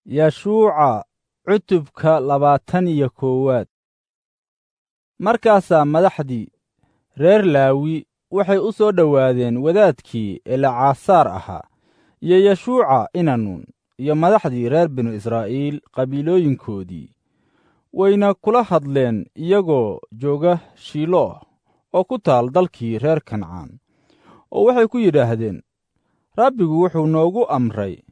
Yeshuuca cutubka 21aad. Markaasaa madaxdii reer Laawi waxay u soo dhowaadeen wadaadkii Elcaasaar ahaa iyo Yeshuuca ina Nuun iyo madaxdii reer binu Israa'iil qabiilooyinkoodii, wayna kula hadleen iyagoo jooga Shiiloh oo ku taal dalkii reer Kancaan, oo waxay ku yidhaahdeen, Rabbigu wuxuu noogu amray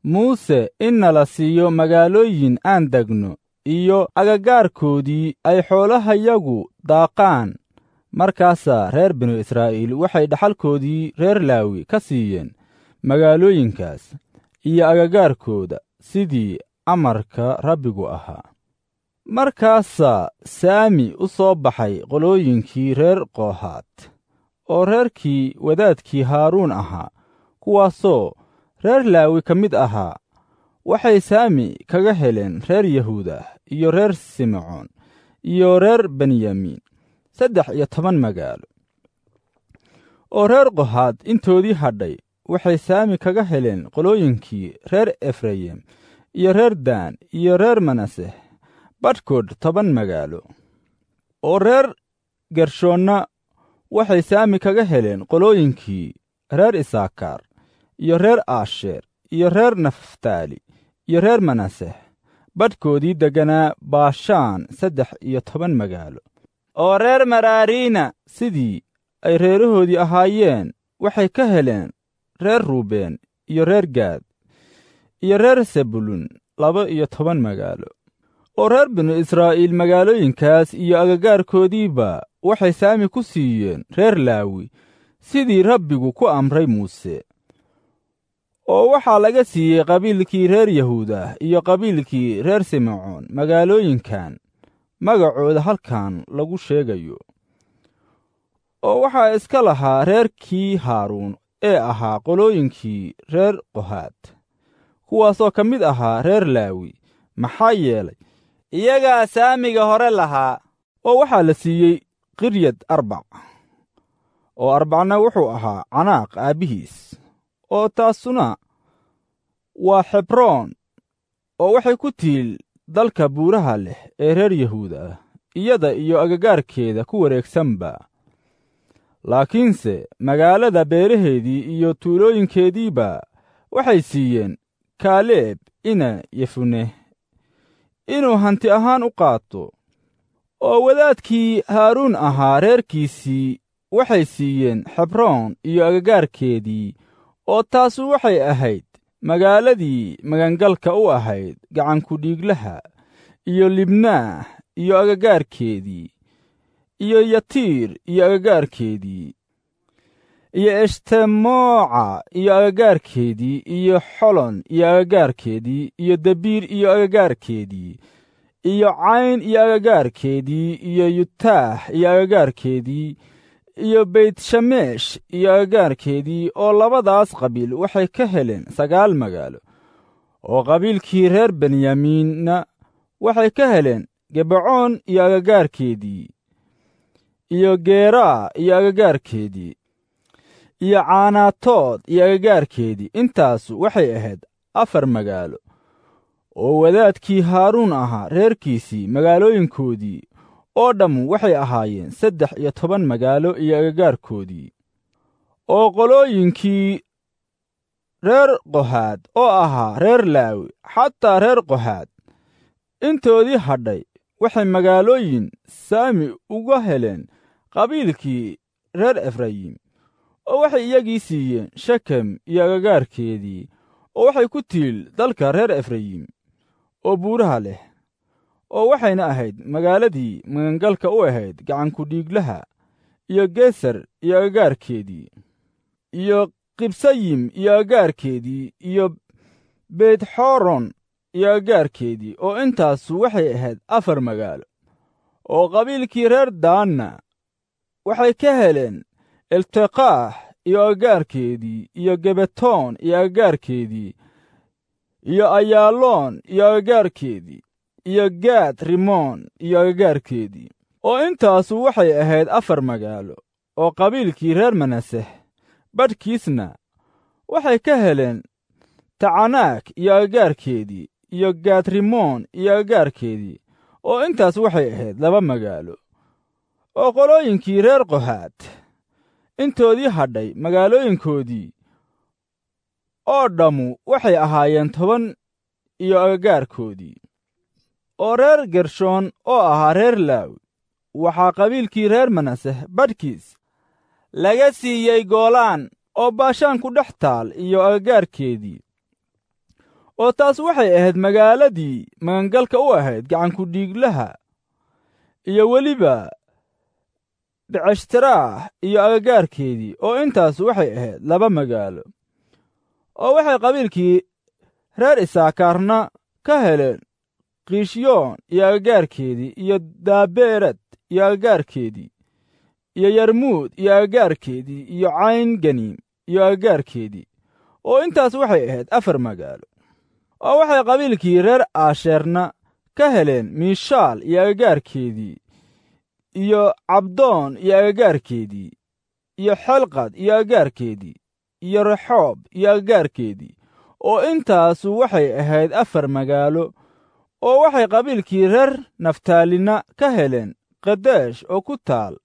Muuse in nala siiyo magaalooyin aan degno iyo agagaarkoodii ay xoolahayagu daaqaan. Markaasaa reer binu Israa'iil waxay dhaxalkoodii reer Laawi ka siiyeen magaalooyinkaas iyo agagaarkooda sidii amarka Rabbigu ahaa. Markaasaa Saami u soo baxay qolooyinkii reer Qohaat oo reerkii wadaadkii Haaruun ahaa, kuwaasoo reer Laawi ka mid ahaa. Waxay saami kaga heleen reer Yahuudah iyo reer Simecoon iyo reer Benyamin 13 magaalo. Oo reer Qohaad intoodii hadhay waxay saami kaga heleen qolooyinkii reer Efrayim iyo reer Daan iyo reer Manaseh badhkood 10 magaalo. Oo reer Gershoonna waxay saami kaga heleen qolooyinkii reer Isaakaar iyo reer Aasheer iyo reer Naftaali iyo reer Manaseh badhkoodii degganaa Baashaan 13 magaalo. Oo reer Maraariina sidii ay reerahoodii ahaayeen waxay ka heleen reer Ruubeen iyo reer Gaad iyo reer Sebulun 12 magaalo. Oo reer binu Israa'iil magaalooyinkaas iyo agagaarkoodiiba waxay saami ku siiyeen reer Laawi sidii Rabbigu ku amray Muuse. Oo waxaa laga siiyey qabiilkii reer Yahuudah iyo qabiilkii reer Simecoon magaalooyinkan magacooda halkan lagu sheegayo. Oo waxaa iska lahaa reerkii Haaruun ee ahaa qolooyinkii reer Qohaat, kuwaasoo ka mid ahaa reer Laawi, maxaa yeelay iyagaa saamiga hore lahaa. Oo waxaa la siiyey Kiryad Arbac, oo Arbacna wuxuu ahaa Canaaq aabbihiis, oo taasuna waa Xebroon, oo waxay ku tiil dalka buuraha leh ee reer Yahuuda ah, iyada iyo agagaarkeeda ku wareegsanba. Laakiinse magaalada beeraheedii iyo tuulooyinkeediiba waxay siiyeen Kaaleeb ina Yefune inuu hanti ahaan u qaato. Oo wadaadkii Haaruun ahaa reerkiisii waxay siiyeen Xebroon iyo agagaarkeedii, oo taasu waxay ahayd magaaladii magangalka u ahayd gacankudhiiglaha, iyo Libnaah iyo agagaarkeedii, iyo Yatiir iyo agagaarkeedii, iyo Eshtemoca iyo agagaarkeedii, iyo Xolon iyo agagaarkeedii, iyo Debiir iyo agagaarkeedii, iyo Cayn iyo agagaarkeedii, iyo Yutaah iyo agagaarkeedii, iyo Beytshamesh iyo agagaarkeedii. Oo labadaas qabiil waxay ka heleen 9 magaalo. Oo qabiilkii reer Benyamiinna waxay ka heleen Gebacoon iyo agagaarkeedii, iyo Geeraa iyo agagaarkeedii, iyo Caanaatood iyo agagaarkeedii. Intaasu waxay ahayd 4 magaalo. Oo wadaadkii Haaruun ahaa reerkiisii magaalooyinkoodii oo dhammu waxay ahaayeen 13 magaalo iyo agagaarkoodii. Oo qolooyinkii reer Qohaad oo ahaa reer Laawi, xataa reer Qohaad intoodii hadhay waxay magaalooyin saami uga heleen qabiilkii reer Efrayim, oo waxay iyagii siiyeen Shekem iyo agagaarkeedii, oo waxay ku tiil dalka reer Efrayim oo buuraha leh, oo waxayna ahayd magaaladii magangalka u ahayd gacankudhiiglaha, iyo Geser iyo agagaarkeedii, iyo Qibsayim iyo agagaarkeedii, iyo Beytxoron iyo agagaarkeedii. Oo intaasu waxay ahayd 4 magaalo. Oo qabiilkii reer Daanna waxay ka heleen Elteqaah iyo agagaarkeedii, iyo Gebetoon iyo agagaarkeedii, iyo Ayaaloon iyo agagaarkeedii, iyo Gaad Rimoon iyo agagaarkeedii. Oo intaasu waxay ahayd 4 magaalo. Oo qabiilkii reer Manaseh badhkiisna waxay ka heleen Tacanaak iyo agagaarkeedii, iyo Gaatrimoon iyo agagaarkeedii, oo intaas waxay ahayd 2 magaalo. Oo qolooyinkii reer Qohaad intoodii hadhay magaalooyinkoodii oo dhammu waxay ahaayeen 10 iyo agagaarkoodii. Oo reer Gershoon oo ahaa reer Laawi waxaa qabiilkii reer Manaseh badhkiis laga siiyey Goolaan oo Baashaan ku dhex taal iyo agagaarkeedii. Oo taas waxay ahayd magaaladii magangalka u ahayd gacankudhiiglaha, iyo weliba Beceshtiraah iyo agagaarkeedii, oo intaas waxay ahayd 2 magaalo. Oo waxay qabiilkii reer Isaakaarna ka heleen Kiishyoon iyo agagaarkeedii, iyo Daabeerad iyo agagaarkeedii, iyo Yarmuud iyo agagaarkeedii, iyo Cayn Ganiim iyo agagaarkeedii, oo intaas waxay ahayd 4 magaalo. Oo waxay qabiilkii reer Aasheerna ka heleen Miishaal iyo agagaarkeedii, iyo Cabdoon iyo agagaarkeedii, iyo Xelqad iyo agagaarkeedii, iyo Rexoob iyo agagaarkeedii, oo intaasu waxay ahayd 4 magaalo. Oo waxay qabiilkii reer Naftaalina ka heleen Qadeesh oo ku taal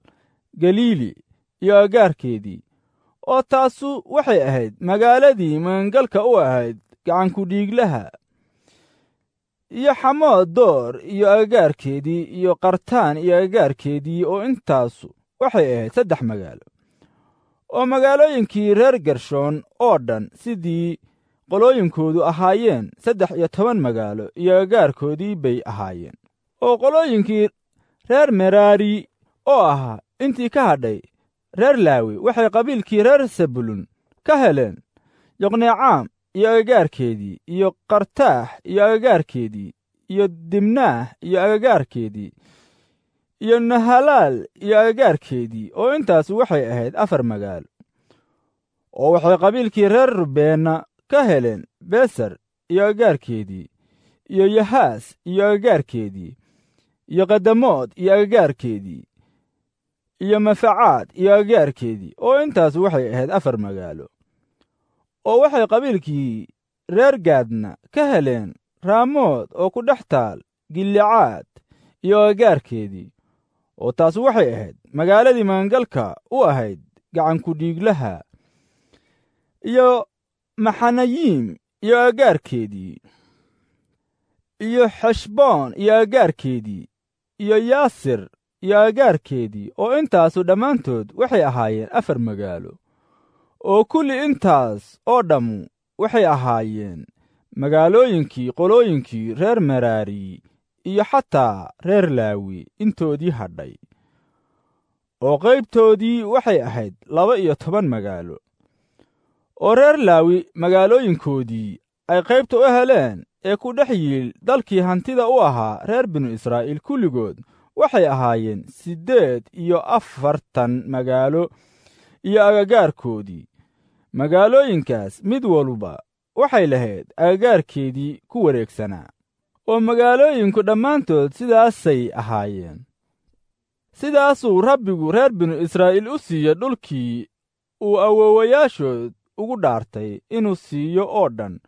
Galiili iyo agagaarkeedii, oo taasu waxay ahayd magaaladii magangalka u ahayd gacankudhiiglaha, iyo Xamood Door iyo agagaarkeedii, iyo Qartaan iyo agagaarkeedii, oo intaasu waxay ahayd 3 magaalo. Oo magaalooyinkii reer Gershoon oo dhan sidii qolooyinkoodu ahaayeen 13 magaalo iyo agagaarkoodii bay ahaayeen. Oo qolooyinkii reer Meraari oo ahaa intii ka hadhay reer Laawi waxay qabiilkii reer Sebulun ka heleen Yoqneecaam iyo agagaarkeedii, iyo Qartaax iyo agagaarkeedii, iyo Dimnaah iyo agagaarkeedii, iyo Nahalaal iyo agagaarkeedii, oo intaas waxay ahayd 4 magaalo. Oo waxay qabiilkii reer Rubeenna ka heleen Beser iyo agagaarkeedii, iyo Yahaas iyo agagaarkeedii, iyo Qadamood iyo agagaarkeedii, iyo Mafacaad iyo agagaarkeedii, oo intaas waxay ahayd 4 magaalo. Oo waxay qabiilkii reer Gaadna ka heleen Raamood oo ku dhex taal Gilicaad iyo agagaarkeedii, oo taas waxay ahayd magaaladii magangalka u ahayd gacankudhiiglaha, iyo Maxanayiim iyo agagaarkeedii, iyo Xeshboon iyo agagaarkeedii, iyo Yaasir iyo agagaarkeedii, oo intaasu dhammaantood waxay ahaayeen 4 magaalo. Oo kulli intaas oo dhammu waxay ahaayeen magaalooyinkii qolooyinkii reer Meraari iyo xataa reer Laawi intoodii hadhay. Oo qaybtoodii waxay ahayd 12 magaalo. Oo reer Laawi magaalooyinkoodii ay qaybta u heleen ee ku dhex yiil dalkii hantida u ahaa reer binu Israa'iil kulligood waxay ahaayeen 48 magaalo iyo agagaarkoodii. Magaalooyinkaas mid walba waxay lahayd agagaarkeedii ku wareegsanaa. Oo magaalooyinku dhammaantood sidaasay ahaayeen. Sidaasuu Rabbigu reer binu Israa'iil u siiyey dhulkii uu awoowayaashood ugu dhaartay inuu siiyo oo dhan.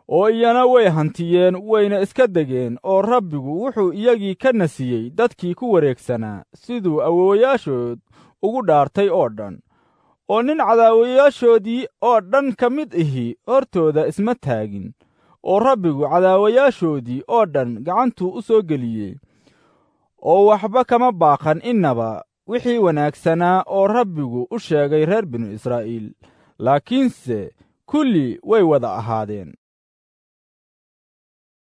Oo iyana way hantiyeen, wayna iska degeen, oo Rabbigu wuxuu iyagii ka nasiyey dadkii ku wareegsanaa siduu awoowayaashood ugu dhaartay oo dhan. Oo nin cadaawayaashoodii oo dhan ka mid ihi hortooda isma taagin, oo Rabbigu cadaawayaashoodii oo dhan gacantuu u soo geliyey. Oo waxba kama baaqan innaba wixii wanaagsanaa oo Rabbigu u sheegay reer binu Israa'iil, laakiinse kulli way wada ahaadeen.